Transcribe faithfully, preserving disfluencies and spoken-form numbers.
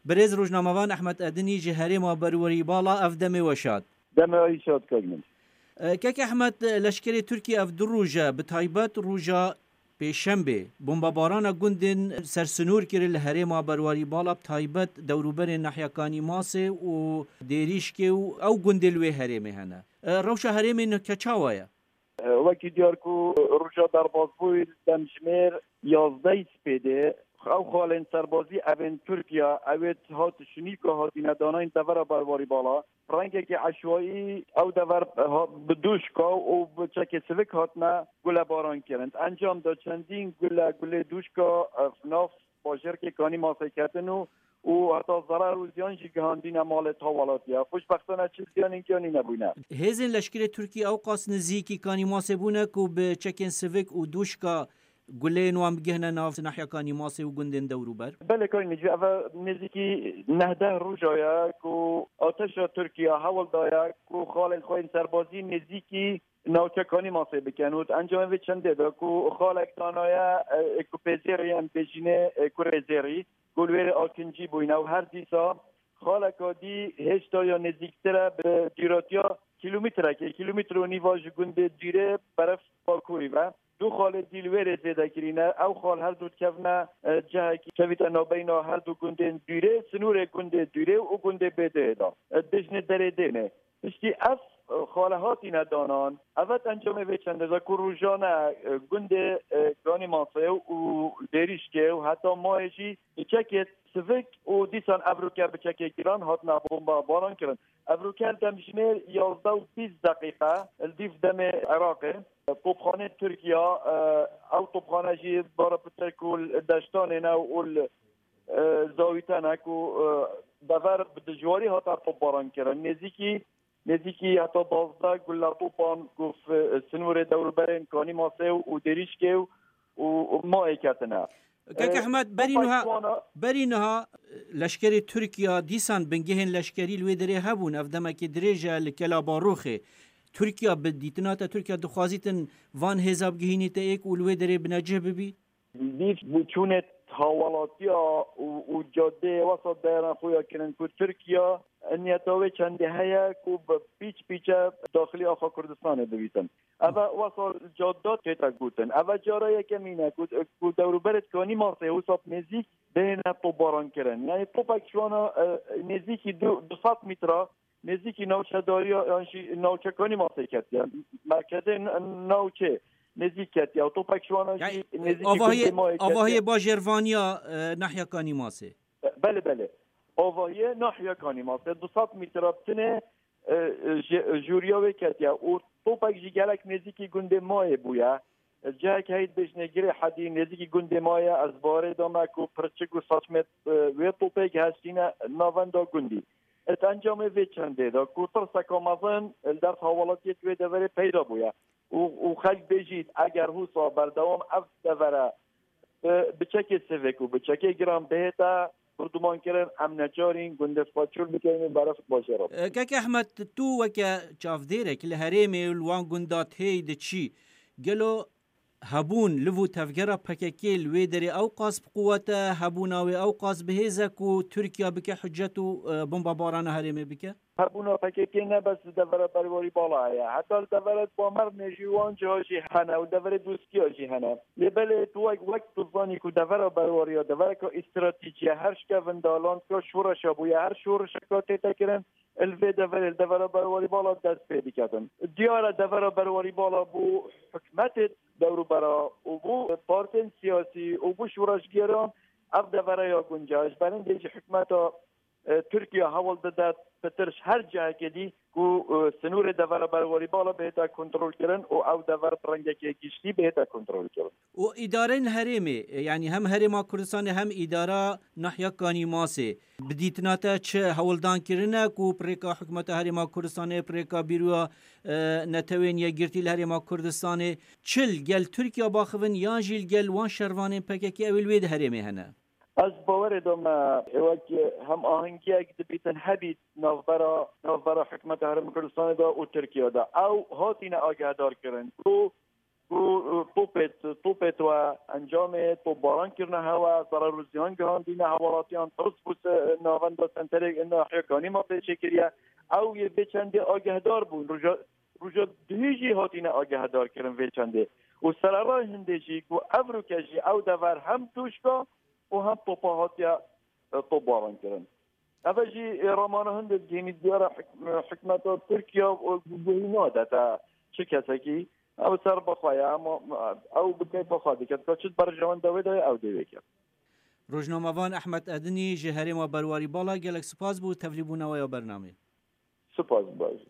Birêz rojnamevan Ehmed Edinî ji herêma Berwerî Bala, ev demê we şad. Demê we şad, kak Min. E, kek Ehmed, leşkerê Tirkiyê ev du roj e, bi taybet roja Pêşembê, bombebarana gundên sersinor kirin li herêma Berwarî Bala, bi taybet dewrûberên nahya Kanîmasê û Dêrîşkê û ew gundê li wê herêmê hene. E, rewşa herêmê nike çawa ye? Wekî diyar ku roja derbasbûyî demjimêr yazdeh spêdê, ew xalên serbazî evên Tirkiye, ewêt hat şinîka hatine danayîn devera Berwarî Bala. Rengekî eşwayî ew dever ha-, bi dûşka û bi çekê sivik hatine gulebaran kirin. Encam da çendîn gule, gulê dûşka, e, nav bajêrkê Kanîmasê ketin û, û heta zerar û ziyan jî gihandîne malê tawalatiya. Xweşbextane çi ziyanên giyanî nebûne. Hêzên leşkerê Tirkî ew qas nizîkî Kanîmasê bûne ku bi çekên sivik û dûşka guleyên wan bigihne nav nahya Kanîmasê û gundên dewrûber? Belê, kayî Necî, ev nêzîkî neh deh roja ye ku ateşa Tirkiye hewl daye ku xalên xwe yên serbazî nêzîkî navçe Kanîmasê bikin û di encamê vê çendê de ku xalek danaye, e, ku pêzêrê yên bêjînê, e, kurê zêrî, ku li wê Akincî bûyne û her dîsa xaleka dî hêşta ya nêzîktir e, bi dûratiya kîlometrekê, kîlometre û nîva ji gundê dûrê beref bakurî ve. Du xalê dî li wê rê zêde kirîne. Ew xal her du dikevine, e, cihekî kevîte navbeyna her du gundên dûrê, sinûrê gundê dûrê û gundê bêdeyê de. E, dijnê derê dênê. Piştî ev, e, xale hatîne danan. Evet, encamê vê çendê de ku rojane, e, gundê, e, Ganîmasê û Dêrîşkê û heta mayê jî bi çekê sivik û dîsan evroke bi çekê giran hatine bomba baran kirin. Evroke demjimêr yazdeh û bîst deqîqe li dîv demê Iraqê. Topxanê Tirkiye, e, ew topxane jî bara pitir ku li deştanê ne û li, e, zawîte ne ku, e, dever bi dijwarî hate topbaran kirin. Nêzîkî, nêzîkî heta duwazdeh gulle topan ku f-, sinûrê dewrûberên Kanîmasê û Dêrîşkê û, û, û mayê ketine. Kek Ehmed, berî niha, berî niha leşkerê Tirkiya dîsan bingehên leşkerî li wê derê hebûn. Ev demekê dirêj e li Kela Baroxê. Tirkiya, bi dîtina te, Tirkiya dixwazîtin van hêza bigihînîte êk û li wê derê binecih bibî? Dîv bûçûnê hawalatiya û, û cadeyê wesa dayeran xwe ya kirin ku Tirkiya niyeta wê çendê heye ku bi pîç pîçe daxilî axa Kurdistanê bibîtin. Eve wesa cadda tête gotin. Eve cara yekemîn e ku, ku dewrûberê Kanîmasê wisa bi nêzîk bihêne topbaran kirin. Yani topek şu ana, e, nêzîkî du, du sed metre, nêzîkî navçedariya, yan jî navçe Kanîmasê ketiye. Merkezê n-, navçê nêzîk ketiye. Topek şu ana jî, yani, nêzîkî avahiyê, gundê Mayê ketiye. Avahiyê bajêrvaniya, e, nahya Kanîmasê. Belê, belê. Avahiyê nahya Kanîmasê du sed metre bi tinê, e, e, ji, jûriya wê ketiye û topek jî gelek nêzîkî gundê Mayê bûye. E, cihek heyî dibêjne girê hedî nêzîkî gundê Mayê, ez barê dame ku pirçik û saçmê, e, wê topê gihiştîne navenda gundî. E, di encamê vê çendê de ku tirseka mezin li dest hawalatiyê wê deverê peyda bûye û, û xelk bêjît, eger hûsa berdewam ev devere bi, bi çekê sivik û bi çekê giran bihête birdumankirin, em neçarîn gundê xwe çûl bikin û beref bajêr re. E, Kek Ehmed, tu weke çavdêrek li herêmê û li wan gunda têy diçî, gelo hebûn liv û tevgera P K K li wê derê ew qas bi quwet e, hebûna wê ew qas bi hêz e ku Tirkiya bike hucet û, e, bombabarana herêmê bike? Hebûna P K K ne bes li devera Berwarî Bala heye, heta li devera Bamernê jî wan ciha jî hene û deverê Dûskiya jî hene. Lê belê tu wek, wek tu zanî ku devera Berwarî ya devereka îstratîjî ye, her şikevin dalandka şoreşa bûye, her şoreşeka tête kirin, li vê deverê, li devera Berwarî Bala dest pê diketin. Diyar e devera Berwarî Bala bû hikûmetê dewrûbera û bû partên siyasî û bû şoreşgeran ev devera ya guncahiş. Berindê jî hikûmeta e, Tirkiye hewl dide pitir ji her cihekê dî ku, e, sinûrê devera Berwarî Bala bihête kontrolkirin û ew dever bi rengekê giştî bihête kontrolkirin. Û îdarên herêmê, e, yanî hem Herêma Kurdistanê hem îdara Nahya Kanîmasê bi dîtina te çi hewldan kirine ku pirêka hikûmeta Herêma Kurdistanê, pirêka Bîroya, e, Netewên Yekgirtî li Herêma Kurdistanê çi li gel Tirkiye baxivin yan jî li gel wan şervanên P K K ew ê li wê di herêmê hene? Ez bawerê de me wek hem ahengiyek dibîtin hebît navbera, navbera hikûmeta Herêma Kurdistanê de û Tirkiye de. Ew hatine agehdar kirin ku ku, e, topê, topê we encamê topbaran kirine hewe, zarar û ziyan gihandîne hewalatiyan, tirs bû se-, navenda senterê nahiya Kanîma pê çêkiriye. Ew yê vê çendê agehdar bûn. Roja, roja duhî jî hatine agehdar kirin vê çendê. Û sererayê hindê jî ku evroke jî ew dever hem tûşka û hem topa hatiye, e, topbaran kirin. Eve jî, e, ramana hindê digihînî diyara hik-, hikmeta Tirkiye, e, guhî nade te çi kesekî. Ew ser bi xwe ye, ama, e, ew bi keyfa xwe dike. Dika çi berjewenda wê de ye, ew dê wê ke. Rojnamevan Ehmed Edinî ji herêma Berwarî Bala, gelek spas bo tevlîbûna we ya bernameyê. Spas baş.